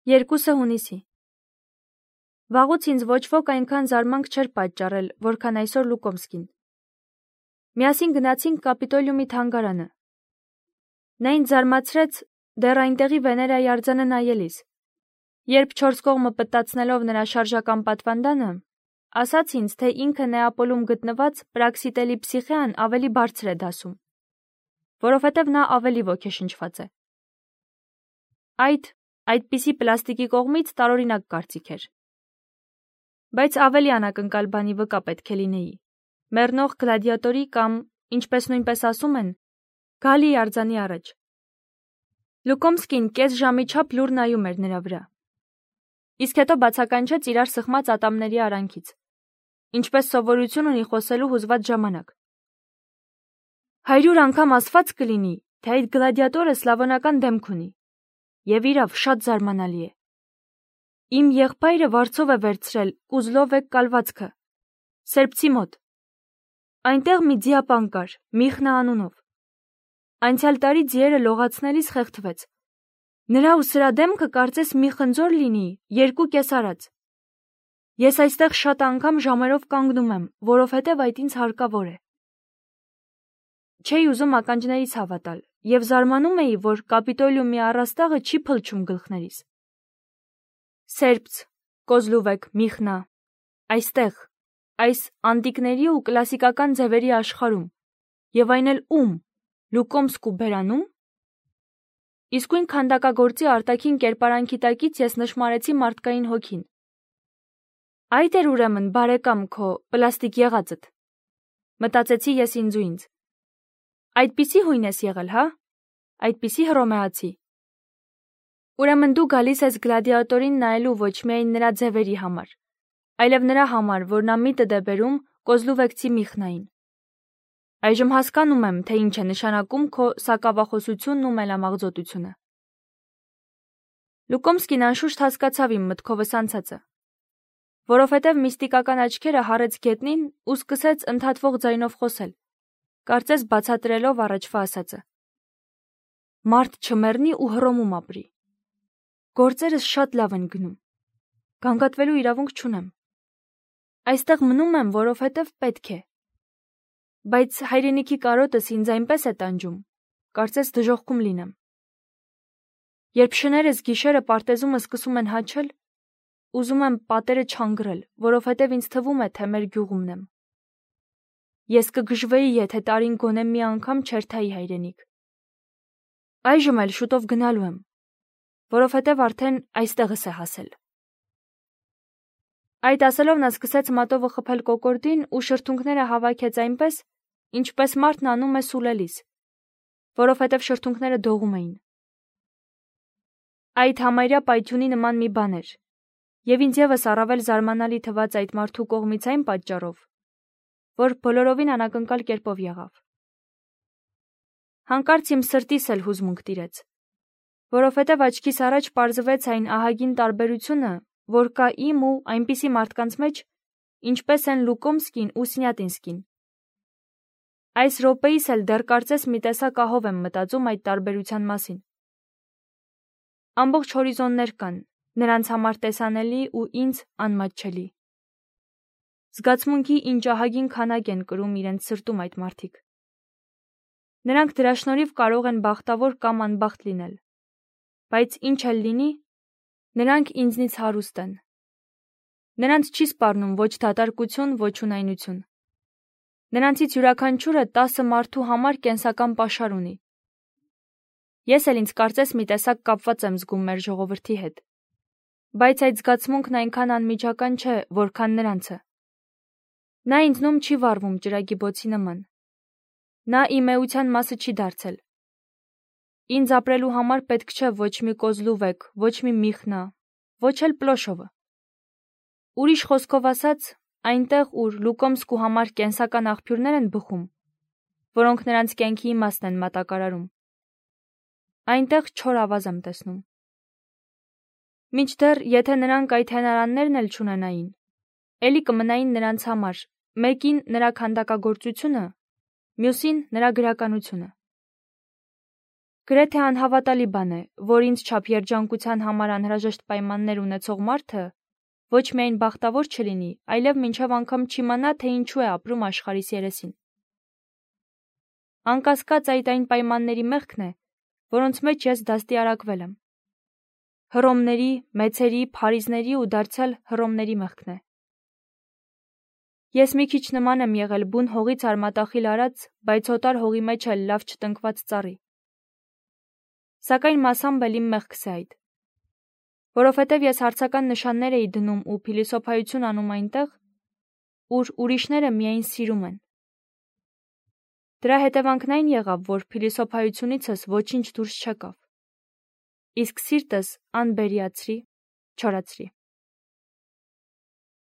2 հունիսի։ Վաղուց ինձ ոչ ոք այնքան զարմանք չէր պատճառել, որքան այսօր Լուկոմսկին։ Միասին գնացինք Կապիտոլիումի թանգարանը։ Նա ինձ զարմացրեց դեռ այնտեղի Վեներայի արձանը նայելիս։ Երբ 4 կողմը պտտացնելով նրա շարժական պատվանդանը, ասաց ինձ, թե ինքը Նեապոլում գտնված Պրաքսիտելի Փսիխեան ավելի բարձր է դասում, որովհետև նա ավելի ոգեշնչված է։ Այդպիսի պլաստիկի կողմից տարօրինակ կարծիք էր։ Բայց ավելի անակնկալ բանի վկա պետք է լինեի։ Մեռնող գլադիատորի կամ, ինչպես նույնպես ասում են, գալի արձանի առաջ։ Լուկոմսկին կես ժամի չափ լուր նայում էր նրա վրա։ Իսկ հետո բացականչեց իրար սխմած ատամների արանքից, ինչպես սովորություն ունի խոսելու հուզված ժամանակ։ 100 անգամ ասված կլինի, թե այդ գլադիատորը սլավոնական դեմք ունի։ Եվ իրավ շատ զարմանալի է։ Իմ եղբայրը վարձով է վերցրել Կուզլովեկ կալվածքը, սերբցի մոտ։ Այնտեղ մի ձիապան կար, Միխնա անունով։ Անցյալ տարի ձիերը լողացնելիս խեղդվեց։ Նրա ու սրա դեմքը կարծես մի խնձոր լինի, 2 կեսարած։ Ես այստեղ շատ անգամ ժամերով կանգնում եմ, որովհետև այդ ինձ հարկավոր է։ Չէի ուզում ականջներիս հավատալ և զարմանում էի, որ Կապիտոլիումի առաստաղը չի փլչում գլխներիս։ Սերբց, Կոզլուվեկ, Միխնա, այստեղ, այս անտիկների ու կլասիկական ձևերի աշխարհում, և այն էլ ում, Լուկոմսկու բերանում։ Իսկույն քանդակագործի արտաքին կերպարանքի տակից ես նշմարեցի մարդկային հոգին։ Այդ էր ուրեմն բարեկամ քո պլաստիկ եղածդ, մտածեցի ես ինձ ու ինձ։ Այդպիսի հույն ես եղել, հա՞, այդպիսի հռոմեացի։ Ուրեմն դու գալիս ես գլադիատորին նայելու ոչ միայն նրա ձևերի համար, այլև նրա համար, որ նա միտդ է բերում Կոզլուվեկցի Միխնային։ Այժմ հասկանում եմ, թե ինչ է նշանակում քո սակավախոսությունն ու մելամաղձոտությունը։ Լուկոմսկին անշուշտ հասկացավ իմ մտքովս անցածը, որովհետև միստիկական աչքերը հառեց գետնին ու սկսեց ընդհատվող ձայնով խոսել, կարծես բացատրելով առաջվա ասածը։ Մարդ չմեռնի ու Հռոմում ապրի։ Գործերս շատ լավ են գնում։ Գանգատվելու իրավունք չունեմ։ Այստեղ մնում եմ, որովհետև պետք է։ Բայց հայրենիքի կարոտս ինձ այնպես է տանջում, կարծես դժոխքում լինեմ։ Երբ շներս գիշերը պարտեզումը սկսում են հաչել, ուզում եմ պատերը չանգրել, որովհետև ինձ թվում է, թե մեր գյուղումն եմ։ Ես կգժվեի, եթե տարին գոնե մի անգամ չերթայի հայրենիք։ Այժմ էլ շուտով գնալու եմ, որովհետև արդեն այստեղս է հասել։ Այդ ասելով նա սկսեց մատովը խփել կոկորդին ու շրթունքները հավաքեց այնպես, ինչպես մարդն անում է սուլելիս, որովհետև շրթունքները դողում էին։ Այդ համարյա պայթյունի նման մի բան էր, և ինձ ևս առավել զարմանալի թվաց այդ մարդու կողմից այն պատճառով, որ բոլորովին անակնկալ կերպով եղավ։ Հանկարծ իմ սրտիս էլ հուզմունք տիրեց, որովհետև աչքիս առաջ պարզվեց այն ահագին տարբերությունը, որ կա իմ ու այնպիսի մարդկանց մեջ, ինչպես են Լուկոմսկին ու Սնյատինսկին։ Այս րոպեիս էլ դեռ կարծես մի տեսակ ահով եմ մտածում այդ տարբերության մասին։ Ամբողջ հորիզոններ կան, նրանց համար տեսանելի ու ինձ անմատչելի։ Զգացմունքի ինչ ահագին քանակ են կրում իրենց սրտում այդ մարդիկ։ Նրանք դրա շնորհիվ կարող են բախտավոր կամ անբախտ լինել, բայց ինչ էլ լինի, նրանք ինձնից հարուստ են։ Նրանց չի սպառնում ոչ դատարկություն, ոչ ունայնություն։ Նրանցից յուրաքանչյուրը 10 մարդու համար կենսական պաշար ունի։ Ես էլ ինձ կարծես մի տեսակ կապված եմ զգում մեր ժողովրդի հետ, բայց այդ զգացմունքն այնքան անմիջական չէ, որքան նրանցը։ Նա ինձնում չի վառվում ջրագի բոցի նման։ Նա իմ էության մասը չի դարձել։ Ինձ ապրելու համար պետք չէ ոչ մի Կոզլուվեկ, ոչ մի Միխնա, ոչ էլ Պլոշովը։ Ուրիշ խոսքով ասած, այնտեղ, ուր Լուկոմսկու համար կենսական աղբյուրներ են բխում, որոնք նրանց կյանքի իմաստն են մատակարարում, այնտեղ չոր ավազ եմ տեսնում։ Մինչդեռ, եթե նրանք այդ հենարաններն էլ չունենային, էլի կմնային նրանց համար, մեկին նրա քանդակագործությունը, մյուսին նրա գրականությունը։ Գրեթե անհավատալի բան է, որ ինձ չափ երջանկության համար անհրաժեշտ պայմաններ ունեցող մարդը ոչ միայն բախտավոր չլինի, այլև մինչև անգամ չիմանա, թե ինչու է ապրում աշխարհիս երեսին։ Անկասկած այդ այն պայմանների մեղքն է, որոնց մեջ ես դաստիարակվել եմ։ Հռոմների, մեծերի, փարիզների ու դարձյալ Հռոմների մեղքն է։ Ես մի քիչ նման եմ եղել բուն հողից արմատախիլ արած, բայց հոտար հողի մեջ էլ լավ չտնկված ծառի։ Սակայն մասամբ էլ իմ մեղքս է այդ, որովհետև ես հարցական նշաններ էի դնում ու փիլիսոփայություն անում այնտեղ, ուր ուրիշները միայն սիրում են։ Դրա հետևանքն այն եղավ, որ փիլիսոփայությունիցս ոչինչ դուրս չեկավ, իսկ սիրտս անբերիացրի, չորացրի։